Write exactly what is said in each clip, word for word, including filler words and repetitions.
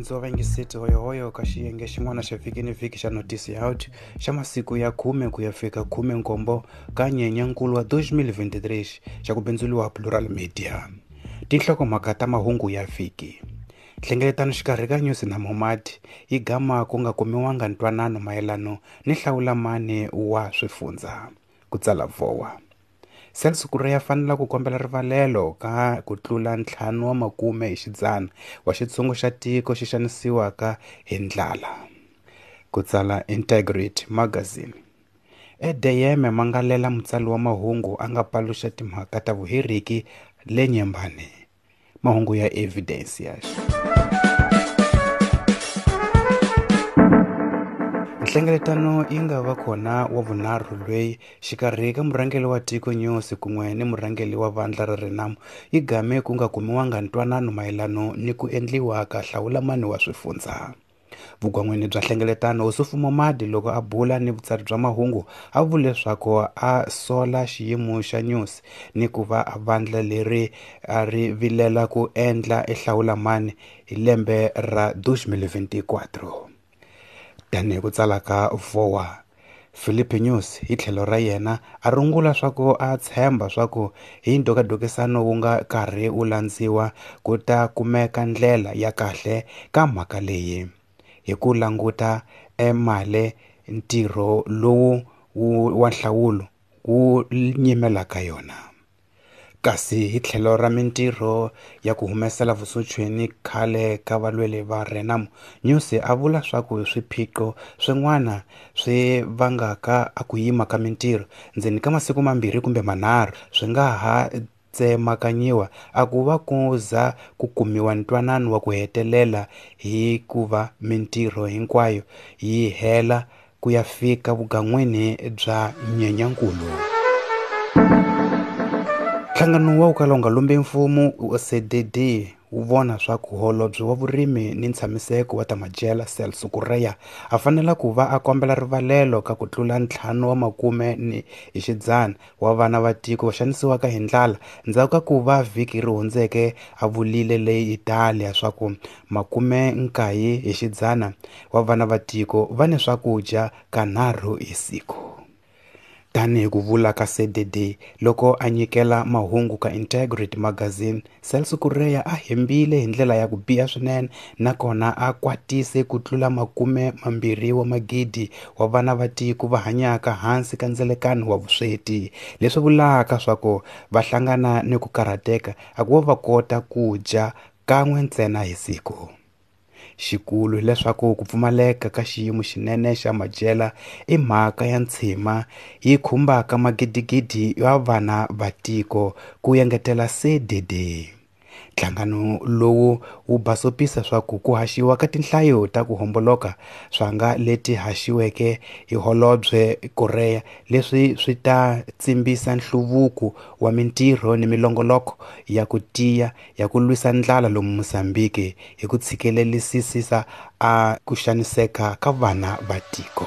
Varhandziwa va yingiseti hoyohoyo ka xiyenge xin'wana xa vhiki ni vhiki xa Notice Out xa masiku ya khume ku ya fika khume nkombo ka Nyenyankulu wa twenty twenty-three xa ku bindzuriwa Plural Media. Tinhlokomhaka ta mahungu ya vhiki. Nhlengeletano xikarhi ka Nyusi na Momadi yi gama ku nga kumiwanga ntwanano mayelano ni hlawulamani wa swifundza, ku tsala Vowa. Celso Correia fanela ku kombela rivalelo ka ku tlula ntlhanu wa makume hi xidzana wa xitshungu xa tiko xi xanisiwaka hi ndlala, ku tsala Integrity Magazine. Edeyeme mangalela mutsari wa mahungu a nga paluxa timhaka ta vuheriki le Nyembani. Mahungu ya Evidencias. Nhlengeletano yi nga va kona wa vunharhu lweyi xikarhi ka murhangeri wa tiko Nyusi kun'we ni murhangeri wa vandla ra Renamo yi game ku nga kumiwanga ntwanano mayelano ni ku endliwa ka hlawulamani wa swifundza. Vugwan'wini bya nhlengeletano Ossufo Momadi loko a bula ni vutsari bya mahungu a vule leswaku a sola xiyimo xa Nyusi ni ku va a vandla leri a ri vilela ku endla ehlawulamani hi lembe ra twenty twenty-four. Tanihi ku tsala ka Vowa, Filipe Nyusi hi tlhelo ra yena a rungula swa ku a tshemba swa ku hi ndhokadhokisano wu nga karhi wu landziwa ku ta kumeka ndlela ya kahle ka mhaka leyi hi ku languta emale ntirho lowu wu wa nhlawulo wu nyimelaka yona. Kasi hi tlhelo ra mintirho ya ku humesela vusochweni khale ka valweri va Renamo, Nyusi a vula swa ku swiphiqo swin'wana swi vangaka a ku yima ka mintirho ndzeni ka masiku mambirhi kumbe manharhu swi nga ha tsemakanyiwa a ku va ku za ku kumiwa ntwanano wa ku hetelela hi ku va mintirho hinkwayo yi hela ku ya fika vugan'wini bya Nyenyankulu. Nhlangano wa ku kala wu nga lumbi mfumo C D D wu vona swa ku holobye wa vurimi ni ntshamiseko wa ta madyela Celso Correia a fanela ku va a kombela rivalelo ka ku tlula ntlhanu wa makume ni hi xidzana wa vana va tiko va xanisiwaka hi ndlala ndzhaku ka ku va vhiki ri hundzeke a vulile le Italia swa ku makume nkaye hi xidzana wa vana va tiko va ni swakudya kanharhu hi siku. Tanihi ku vula ka C D D loko a nyikela mahungu ka Integrity Magazine, Celso Correia a hembile hi ndlela ya ku biha swinene nakona a kwatise ku tlula makume mambirhi wa magidi wa vana va tiko va hanyaka hansi ka ndzelekano wa vusweti, leswi vulaka swa ku va hlangana ni ku karhateka a ku va va kota ku dya kan'we ntsena hi siku. Xikulu hileswaku ku pfumaleka ka xiyimo xinene xa madyela i mhaka ya ntshima yi khumbaka magidigidi ya vana va tiko, ku engetela C D D. Nhlangano lowu wu basopisa swa ku ku haxiwa ka tinhlayo ta ku homboloka swa nga leti haxiweke hi holobye Correia leswi swi ta tsimbisa nhluvuko wa mintirho ni milongoloko ya ku tiya ya ku lwisa ndlala lomu Mozambique hi ku tshikelelisisa a ku xaniseka ka vana va tiko.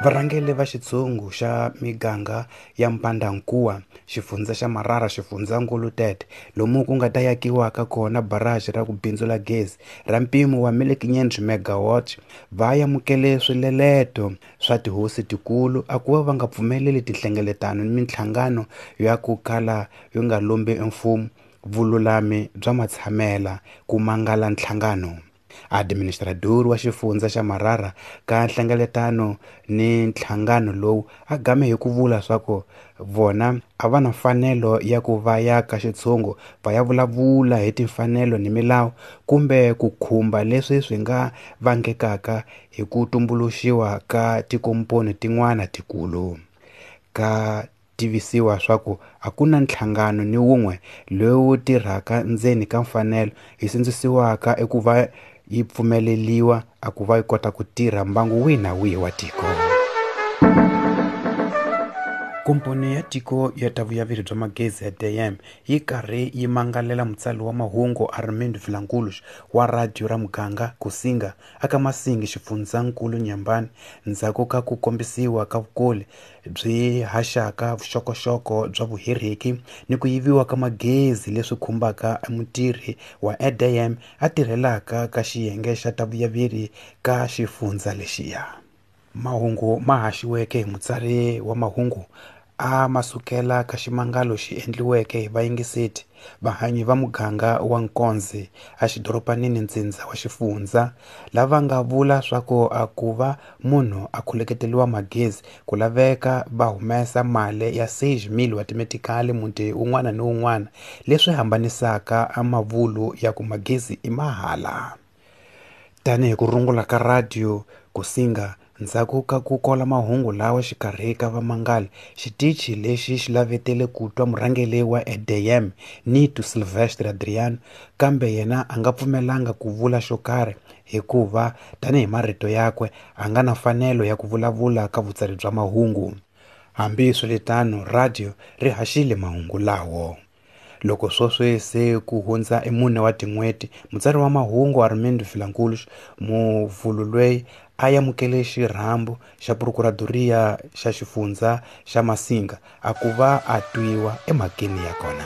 Varhangeri va xitshungu xa miganga ya Mpandankuwa, xifundza xa Marara, xifundzankulu Tete, lomu ku nga ta yakiwaka kona barrage ra ku bindzula gezi ra mpimo wa mil quinhentos megawatt va amukele swileleto swa tihosi tikulu a ku va va nga pfumeleli tinhlengeletano ni minhlangano ya ku kala yi nga lombi mfumo vululami bya matshamela ku mangala nhlangano. Administrador wa xifundza xa Marara ka nhlengeletano ni nhlangano lowu a game hi ku vula swa ku vona a va na mfanelo ya ku va ya ka xitshungu va ya vulavula hi timfanelo ni milawu kumbe ku khumba leswi swi nga vangekaka hi ku tumbuluxiwa ka tikomponi tin'wana tikulu. Ka tivisiwa swa ku a ku na nhlangano ni wun'we lowu tirhaka ndzeni ka mfanelo yi sindzisiwaka eku va yi pfumeleliwa a ku va yi kota ku tirha mbangu wihi na wihi wa tiko. Komponi ya tiko ya ta vuyaveri bya magezi ya D M yi karhi yi mangalela mutsari wa mahungu Armando Vilanculos wa radio ra muganga Kusinga aka Masingi xifundzankulu Nyambani ndzhaku ka ku kombisiwa ka vukoli byi haxaka vuxokoxoko bya vuhereki ni ku yiviwa ka magezi leswi khumbaka mutirhi wa D M a tirhelaka ka xiyenge xa ta vuyaveri ka xifundza lexiya. Mahungu ma haxiweke hi mutsari wa mahungu a masukela ka ximangalo xi endliweke hi vayingiseti vahanyi va muganga wa Nkonze a xidoropanini ntsindza wa xifundza lava nga vula swa ku a ku va munhu a khuleketeliwa magezi ku laveka va humesa mali ya seis mil wa timetikali muti wun'wana ni wun'wana leswi hambanisaka a mavulu ya ku magezi i mahala. Tanihi ku rungula ka radio Kusinga ndzhaku ka ku kola mahungu lawa xikarhi ka vamangali xitichi lexi xi lavetele ku twa murhangeri wa D M Nito Silvestre Adriano kambe yena a nga pfumelanga ku vula xo karhi hikuva tanihi marito yakwe a nga na mfanelo ya ku vulavula ka vutsari bya mahungu. Hambiswiritano radio ri haxile mahungu lawo. Loko sweswi se ku hundza e mune wa tin'hweti mutsari wa mahungu Armando Vilanculos muvulu loyi a amukele xirhambo xa Procuradoria xa xifundza xa Masinga a ku va a twiwa emhakeni ya kona.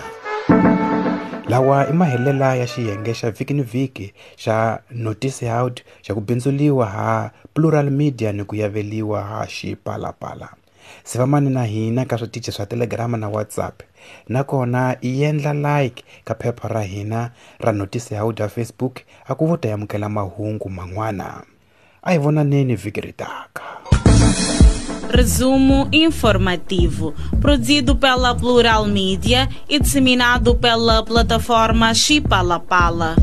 Lawa i mahelela ya xiyenge xa vhiki ni vhiki xa Notice Out xa ku bindzuliwa ha Plural Media ni ku yaveliwa ha Xipalapala. Sivamani na hina ka switichi swa Telegram na WhatsApp nakona i endla like ka phepha ra hina ra Notice Out ya Facebook a ku vo ta amukela mahungu man'wana. A hi vonaneni vhiki ri taka. Resumo informativo, produzido pela Plural Media e disseminado pela plataforma Xipalapala.